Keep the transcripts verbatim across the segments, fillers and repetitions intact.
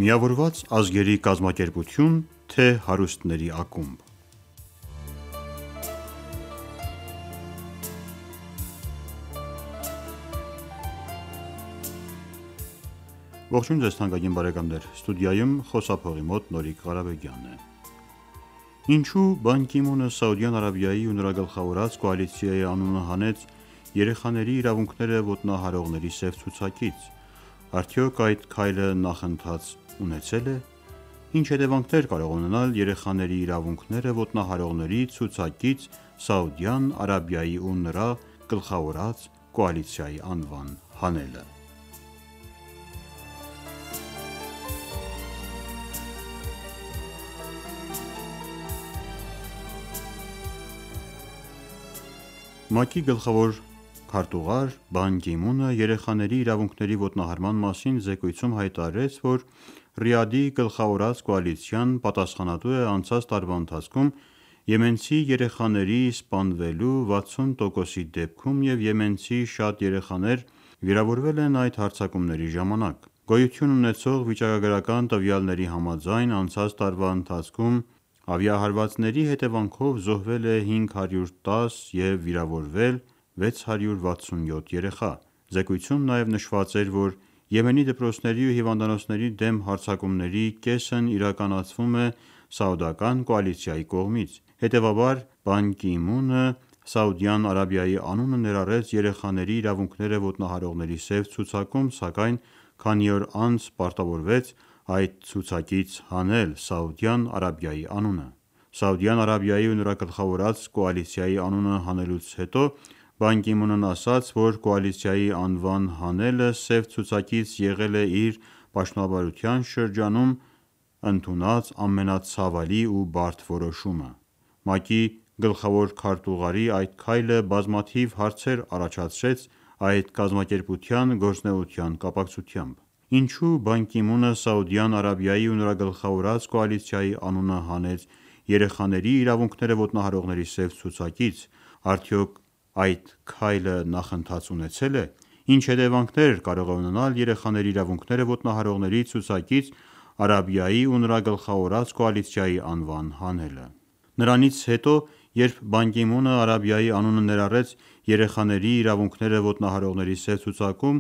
Միավորված ազգերի կազմակերպություն, թե հարուստների ակումբ: Ողջույն ձեզ թանկագին բարեկամներ: Ստուդիայում խոսափողի մոտ Նորիկ Ղարաբեգյանն է: Ինչու Պան Գի Մունը Սաուդյան Արաբիայի ու նրա գլխավորած կոալիցիայի անունը հանեց երեխաների իրավունքները ոտնահարողների սև ցուցակից: Արդյոք այդ քայլը նախընթաց ունեցե՞լ է: Ինչ հետևանքներ կարող է ունենալ երեխաների իրավունքները ոտնահարողների ցուցակից Սաուդյան Արաբիայի ու նրա գլխավորած կոալիցիայի անվան հանելը: ՄԱԿ-ի գլխավոր քարտուղար Պան Գի Մունը երեխաների իրավունքների ոտնահարման մասին զեկույցում հայտարարեց, որ Ռիադի գլխավորած կոալիցիան պատասխանատու է անցած տարվա ընթացքում եմենցի երեխաների սպանվելու վաթսուն տոկոսի դեպքում և եմենցի շատ երեխաներ վիրավորվել են այդ հարձակումների ժամանակ: Գոյություն ունեցող վիճակագրական տվյալների համաձայն անցած տարվա ընթացքում ավիահարվածների հետևանքով զոհվել է հինգ հարյուր տաս և վիրավորվել վեց հարյուր վաթսունյոթ երեխա: Զեկույցում նաև նշված էր, որ Եմենի դպրոցների ու հիվանդանոցների դեմ հարձակումների կեսն իրականացվում է սաուդական կոալիցիայի կողմից: Հետևաբար Պան Գի Մունը Սաուդյան Արաբիայի անունը ներառեց երեխաների իրավունքները ոտնահարողների սև ցուցակում, սակայն քանի օր անց պարտավորվեց այդ ցուցակից հանել Սաուդյան Արաբիայի անունը: Սաուդյան Արաբիայի ու նրա գլխավորած կոալիցիայի անունը հանելուց հետո Պան Գի Մունն ասաց, որ կոալիցիայի անվան հանելը սև ցուցակից եղել է իր պաշտոնավարության շրջանում ընդունած ամենացավալի ու բարդ որոշումը: ՄԱԿ-ի գլխավոր քարտուղարի այդ քայլը բազմաթիվ հարցեր առաջացրեց այդ կազմակերպության գործունեության կապակցությամբ: Ինչու Պան Գի Մունը Սաուդյան Արաբիայի ու նրա գլխավորած կոալիցիայի անունը հանեց երեխաների իրավունքները ոտնահարողների սև ցուցակից: Արդյոք այդ քայլը նախընթաց ունեցե՞լ է: Ինչ հետևանքներ կարող է ունենալ երեխաների իրավունքները ոտնահարողների ցուցակից Արաբիայի ու նրա գլխավորած կոալիցիայի անվան հանելը: Նրանից հետո երբ Պան Գի Մունը Արաբիայի անունը ներառեց երեխաների իրավունքները ոտնահարողների սև ցուցակում,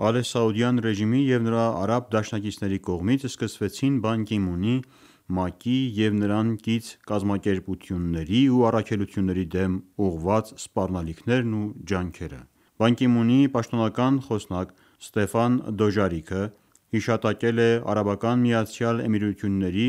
Ալե Սաուդյան ռեժիմի և նրա արաբ դաշնակիցների կողմից սկսվեցին Պան Գի Մունի, ՄԱԿ-ի և նրան կից կազմակերպությունների ու առաքելությունների դեմ ուղղված սպառնալիքներն ու ջանքերը: Պան Գի Մունի պաշտոնական խոսնակ Ստեֆան Դոժարիկը հիշատակել է ԱՄԷ-ի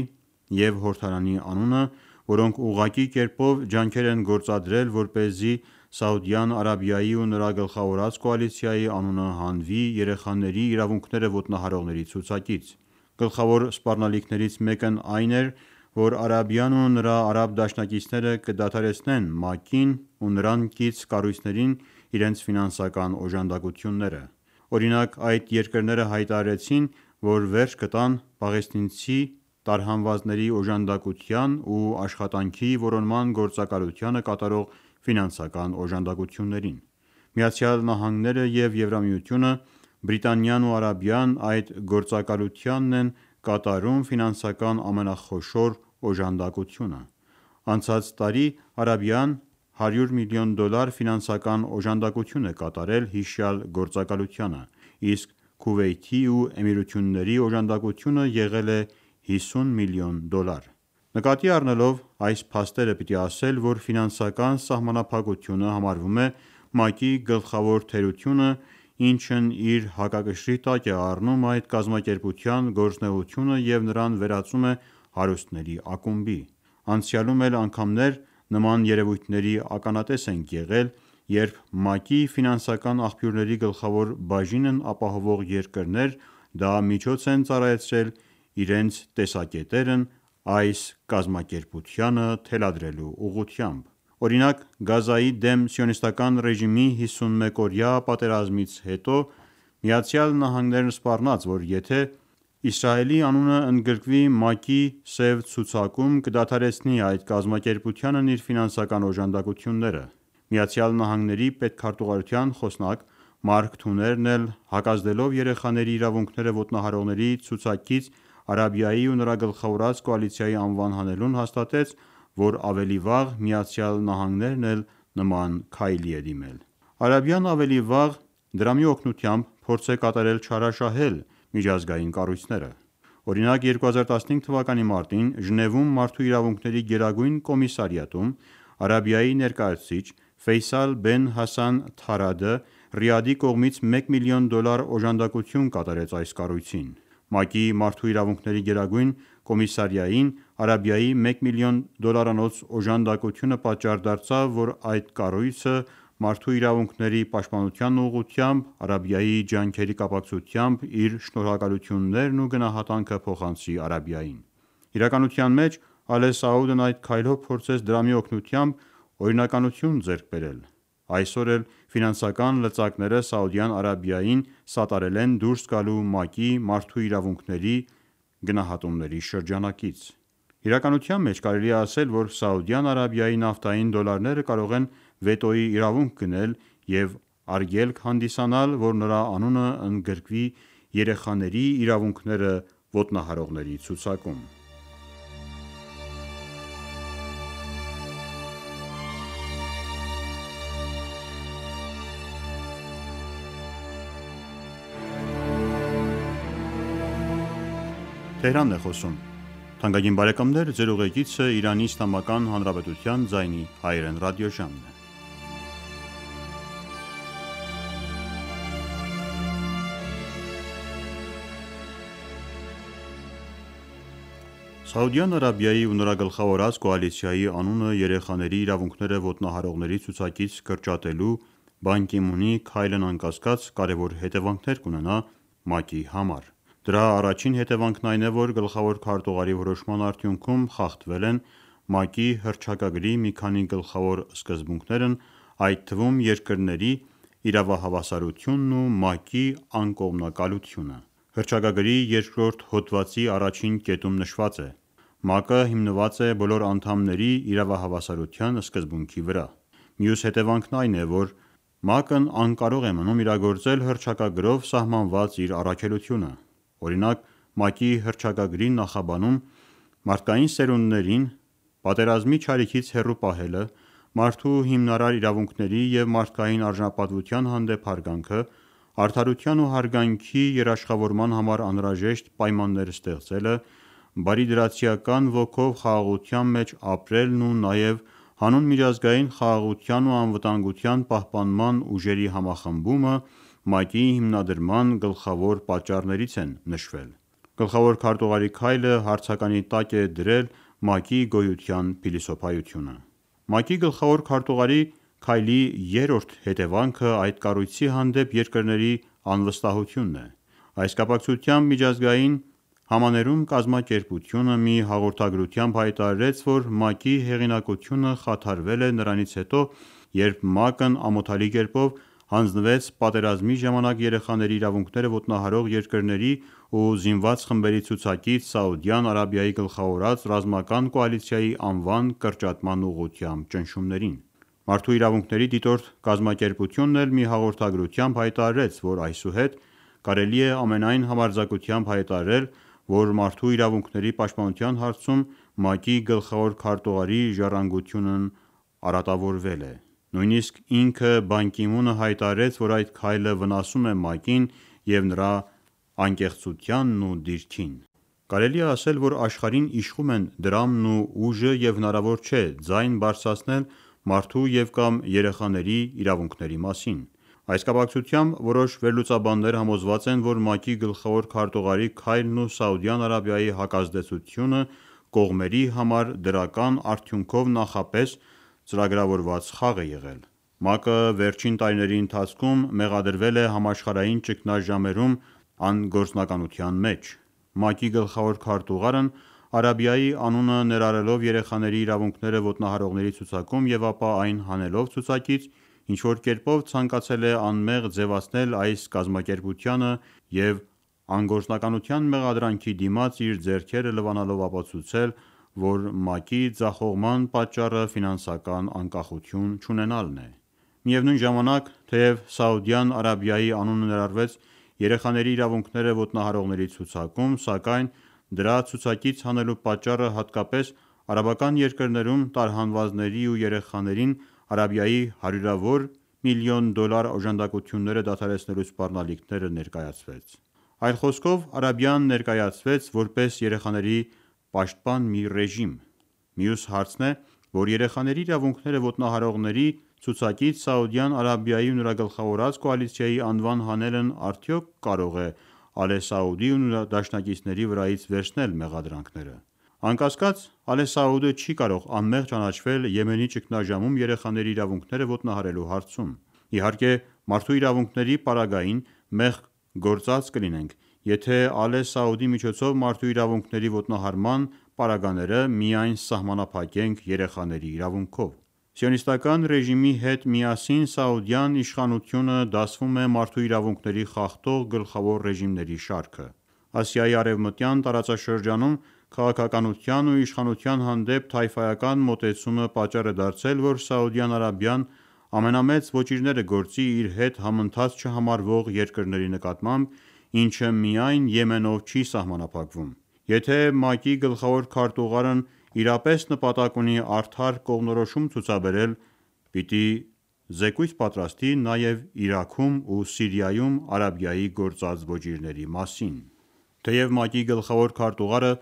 և Հորդանանի անունը, որոնք ուղղակի կերպով ջանքեր են գործադրել, որպեսզի Սաուդյան Արաբիայի ու նրա գլխավորած կոալիցիայի անունը հանվի երեխաների իրավունքները ոտնահարողների ցուցակից: Գլխավոր սպառնալիքներից մեկն այն էր, որ Արաբիան ու նրա արաբ դաշնակիցները կդադարեցնեն ՄԱԿ-ին ու նրան կից կառույցներին իրենց ֆինանսական օժանդակությունները: Օրինակ այդ երկրները հայտարարեցին, որ վերջ կտան պաղեստինցի տարհանվածների օժանդակության ու աշխատանքի որոնման գործակալությանը կատարող ֆինանսական օժանդակություններին: ԱՄՆ-ը և Եվրամիությունը, Բրիտանիան ու Արաբիան այդ գործակալությանն են կատարում ֆինանսական ամենախոշոր օժանդակությունը: Անցած տարի Արաբիան հարյուր միլիոն դոլար ֆինանսական օժանդակություն է կատարել հիշյալ գործակալությանը, իսկ Քուվեյթի ու Էմիրությունների օժանդակությունը եղել է հիսուն միլիոն դոլար: Նկատի առնելով այս փաստերը պիտի ասել, որ ֆինանսական սահմանափակությունը համարվում է ՄԱԿ-ի գլխավոր թերությունը, ինչն իր հակակշռի տակ է առնում այդ կազմակերպության գործունեությունը և նրան վերածում է հարուստների ակումբի: Անցյալում էլ անգամներ նման երևույթների ականատես ենք եղել, երբ ՄԱԿ-ի ֆինանսական աղբյուրների գլխավոր բաժինն ապահովող երկրներ դա միջոց են ծառայեցրել իրենց տեսակետերն այս կազմակերպությանը թելադրելու ուղղությամբ: Օրինակ Գազայի դեմ սիոնիստական ռեժիմի հիսունմեկօրյա պատերազմից հետո ԱՄՆ-ն սպառնաց, որ եթե Իսրայելի անունը ընդգրկվի ՄԱԿ-ի սև ցուցակում կդադարեցնի այդ կազմակերպությանն իր ֆինանսական օժանդակությունները: ԱՄՆ-ի պետքարտուղարության խոսնակ Մարկ Թուներն էլ հակազդելով երեխաների իրավունքները ոտնահարողների ցուցակից Արաբիայի ու նրա գլխավորած կոալիցիայի անվան հանելուն հաստատեց, որ ավելի վաղ ԱՄՆ-ն էլ նման քայլի է դիմել: Արաբիան ավելի վաղ դրամի օգնությամբ փորձ է կատարել չարաշահել միջազգային կառույցները: Օրինակ երկու հազար տասնհինգ թվականի մարտին Ժնևում Մարդու իրավունքների գերագույն կոմիսարիատում Արաբիայի ներկայացուցիչ Ֆեյսալ Բեն Հասան Թարադը Ռիադի կողմից մեկ միլիոն դոլար օժանդակություն կատարեց այս կառույցին: ՄԱԿ-ի Մարդու իրավունքների գերագույն կոմիսարիային Արաբիայի մեկ միլիոն դոլարանոց օժանդակությունը պատճառ դարձավ, որ այդ կառույցը մարդու իրավունքների պաշտպանության ուղղությամբ Արաբիայի ջանքերի կապակցությամբ իր շնորհակալություններն ու գնահատանքը փոխանցի Արաբիային: Իրականության մեջ Ալե Սաուդն այդ քայլով փորձեց դրամի օգնությամբ օրինականություն ձեռք բերել: Այսօր էլ ֆինանսական լծակները Սաուդյան Արաբիային սատարել են դուրս գալու ՄԱԿ-ի Մարդու իրավունքների գնահատումների շրջանակից: Իրականության մեջ կարելի է ասել, որ Սաուդյան Արաբիայի նավթային դոլարները կարող են վետոյի իրավունք գնել և արգելք հանդիսանալ, որ նրա անունը ընդգրկվի երեխաների իրավունքները ոտնահարողների ցուցակում: Սաուդյան Արաբիայի ու նրա գլխավորած կոալիցիայի անունը երեխաների իրավունքները ոտնահարողների ցուցակից կրճատելու Պան Գի Մունի քայլն անկասկած կարևոր հետևանքներ կունենա ՄԱԿ-ի համար: Դրա առաջին հետևանքն այն է, որ գլխավոր քարտուղարի որոշման արդյունքում խախտվել են ՄԱԿ-ի հռչակագրի մի քանի գլխավոր սկզբունքներն, այդ թվում երկրների իրավահավասարությունն ու ՄԱԿ-ի անկողմնակալությունը: Հռչակագրի երկրորդ հոդվածի առաջին կետում նշված է. «ՄԱԿ-ը հիմնված է բոլոր անդամների իրավահավասարության սկզբունքի վրա»: Մյուս հետևանքն այն է, որ ՄԱԿ-ն անկարող է մնում իրագործել հռչակագրով սահմանված իր առաքելությունը: Օրինակ ՄԱԿ-ի հռչակագրի նախաբանում մարդկային սերունդներին պատերազմի չարիքից հեռու պահելը, մարդու հիմնարար իրավունքների և մարդկային արժանապատվության հանդեպ հարգանքը, արդարության ու հարգանքի երաշխավորման համար անհրաժեշտ պայմաններ ստեղծելը, բարիդրացիական ոգով խաղաղության մեջ ապրելն ու նաև հանուն միջազգային խաղաղության ու անվտանգության պահպանման ուժերի համախմբումը ՄԱԿ-ի հիմնադրման գլխավոր պատճառներից են նշվել: Գլխավոր քարտուղարի քայլը հարցականի տակ է դրել ՄԱԿ-ի գոյության փիլիսոփայությունը: ՄԱԿ-ի գլխավոր քարտուղարի քայլի երրորդ հետևանքը այդ կառույցի հանդեպ երկրների անվստահությունն է: Այս կապակցությամբ Միջազգային համաներում կազմակերպությունը մի հաղորդագրությամբ հայտարարեց, որ ՄԱԿ-ի հեղինակությունը խաթարվել է նրանից հետո, երբ ՄԱԿ-ն ամոթալի կերպով հանձնվեց պատերազմի ժամանակ երեխաների իրավունքները ոտնահարող երկրների ու զինված խմբերի ցուցակից Սաուդյան Արաբիայի գլխավորած ռազմական կոալիցիայի անվան կրճատման ուղղությամբ ճնշումներին: Մարդու իրավունքների դիտորդ կազմակերպությունն էլ մի հաղորդագրությամբ հայտարարեց, որ այսուհետ կարելի է ամենայն համարձակությամբ հայտարարել, որ մարդու իրավունքների պաշտպանության հարցում ՄԱԿ-ի գլխավոր քարտուղարի ժառանգությունն արատավորվել է: Նույնիսկ ինքը Պան Գի Մունը հայտարարեց, որ այդ քայլը վնասում է ՄԱԿ-ին և նրա անկեղծությանն ու դիրքին: Կարելի է ասել, որ աշխարհին իշխում են դրամն ու ուժը և հնարավոր չէ ձայն բարձրացնել մարդու և կամ երեխաների իրավունքների մասին: Այս կապակցությամբ որոշ վերլուծաբաններ համոզված են, որ ՄԱԿ-ի գլխավոր քարտուղարի քայլն ու Սաուդյան Արաբիայի հակազդեցությունը կողմերի համար դրական արդյունքով նախապես ծրագրավորված խաղ է եղել: ՄԱԿ-ը վերջին տարիների ընթացքում մեղադրվել է համաշխարհային ճգնաժամերում անգործնականության մեջ: ՄԱԿ-ի գլխավոր քարտուղարն Արաբիայի անունը ներառելով երեխաների իրավունքները ոտնահարողների ցուցակում և ապա այն հանելով ցուցակից ինչ-որ կերպով ցանկացել է անմեղ ձևացնել այս կազմակերպությանը և անգործնականության մեղադրանքի դիմաց իր ձեռքերը լվանալով ապացուցել, որ ՄԱԿ-ի ձախողման պատճառը ֆինանսական անկախություն չունենալն է: Միևնույն ժամանակ թեև Սաուդյան Արաբիայի անունը ներառվեց երեխաների իրավունքները ոտնահարողների ցուցակում, սակայն Դրա ցուցակից հանելու պատճառը հատկապես արաբական երկրներում տարհանվածների ու երեխաներին Արաբիայի հարյուրավոր միլիոն դոլար օժանդակությունները դադարեցնելու սպառնալիքները ներկայացվեց: Այլ խոսքով Արաբիան ներկայացվեց որպես երեխաների պաշտպան մի ռեժիմ: Մյուս հարցն է, որ երեխաների իրավունքները ոտնահարողների ցուցակից Սաուդյան Արաբիայի ու նրա գլխավորած կոալիցիայի անվան հանելն արդյոք կարող է Ալե Սաուդի ու նրա դաշնակիցների վրայից վերցնել մեղադրանքները: Անկասկած, Ալե Սաուդը չի կարող անմեղ ճանաչվել Եմենի ճգնաժամում երեխաների իրավունքները ոտնահարելու հարցում: Իհարկե մարդու իրավունքների պարագային մեղք գործած կլինենք, եթե Ալե Սաուդի միջոցով մարդու իրավունքների ոտնահարման պարագաները միայն սահմանափակենք երեխաների իրավունքով: Սիոնիստական ռեժիմի հետ միասին սաուդյան իշխանությունը դասվում է մարդու իրավունքների խախտող գլխավոր ռեժիմների շարքը: Ասիայի արևմտյան տարածաշրջանում քաղաքականության ու իշխանության հանդեպ թայֆայական մոտեցումը պատճառ է դարձել, որ Սաուդյան Արաբիան ամենամեծ ոճիրները գործի իր հետ համընթաց չհամարվող երկրների նկատմամբ, ինչը միայն Եմենով չի սահմանափակվում: Եթե ՄԱԿ-ի գլխավոր քարտուղարն իրապես նպատակ ունի արդար կողմնորոշում ցուցաբերել, պիտի զեկույց պատրաստի նաև Իրաքում ու Սիրիայում Արաբիայի գործած ոճիրների մասին: Թեև ՄԱԿ-ի գլխավոր քարտուղարը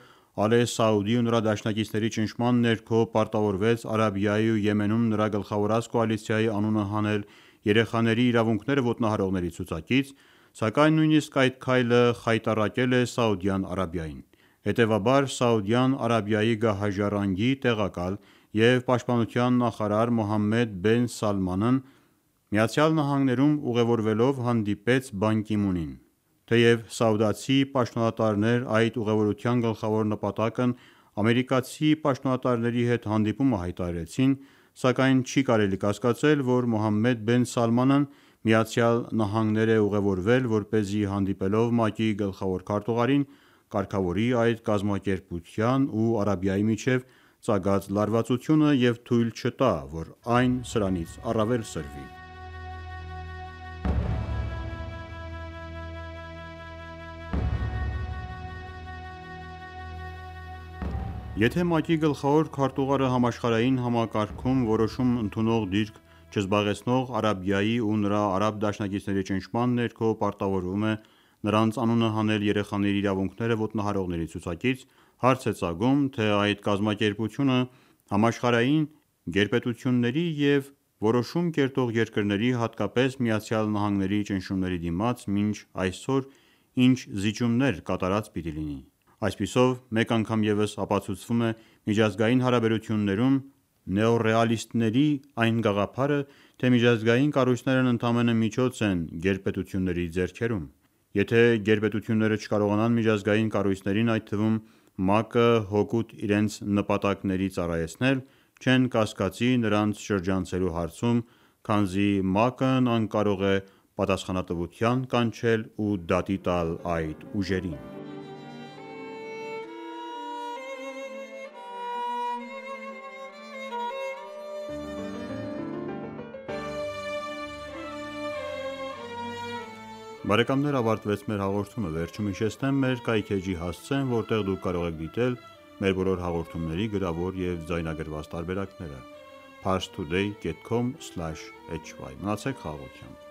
Ալե Սաուդի ու նրա դաշնակիցների ճնշման ներքո պարտավորվեց Արաբիայի ու Եմենում նրա գլխավորած կոալիցիայի անունը հանել երեխաների իրավունքները ոտնահարողների ցուցակից, սակայն նույնիսկ այդ քայլը խայտառակել է Սաուդյան Արաբիային: Հետևաբար Սաուդյան Արաբիայի գահաժառանգի տեղակալ և պաշտպանության նախարար Մոհամմեդ բեն Սալմանն ԱՄՆ-ում ուղևորվելով հանդիպեց Պան Գի Մունին: Թեև սաուդացի պաշտոնատարներ այդ ուղևորության գլխավոր նպատակն ամերիկացի պաշտոնատարների հետ հանդիպումը հայտարարեցին, սակայն չի կարելի կասկածել, որ Մոհամմեդ բեն Սալմանն ԱՄՆ է ուղևորվել, որպեսզի հանդիպելով ՄԱԿ-ի գլխավոր քարտուղարին, կարգավորի այդ կազմակերպության ու Արաբիայի միջև ծագած լարվածությունը և թույլ չտա, որ այն սրանից առավել սրվի: Եթե ՄԱԿ-ի գլխավոր քարտուղարը համաշխարհային համակարգում որոշում ընդունող դիրք չզբաղեցնող Արաբիայի ու նրա արաբ դաշնակիցների ճնշման ներքո պարտավորվում է նրանց անունը հանել երեխաների իրավունքները ոտնահարողների ցուցակից, հարց է ծագում, թե այդ կազմակերպությունը համաշխարհային գերպետությունների և որոշում կերտող երկրների, հատկապես ԱՄՆ-ի ճնշումների դիմաց մինչ այսօր ինչ զիջումներ կատարած պիտի լինի: Այսպիսով մեկ անգամ ևս ապացուցվում է միջազգային հարաբերություններում նեոռեալիստների այն գաղափարը, թե միջազգային կառույցներն ընդամենը միջոց են գերպետությունների ձեռքերում: Եթե գերպետությունները չկարողանան միջազգային կառույցներին, այդ թվում ՄԱԿ-ը հօգուտ իրենց նպատակների ծառայեցնել, չեն կասկածի նրանց շրջանցելու հարցում, քանզի ՄԱԿ-ն անկարող է պատասխանատվության կանչել ու դատի տալ այդ ուժերին: Բարեկամներ ավարտվեց մեր հաղորդումը: Վերջում հիշեցնեմ մեր կայք էջի հասցեն, որտեղ դուք կարող եք դիտել մեր բոլոր հաղորդումների գրավոր և ձայնագրված տարբերակները: Parstoday.com/hy Մնացեք խաղաղությամբ: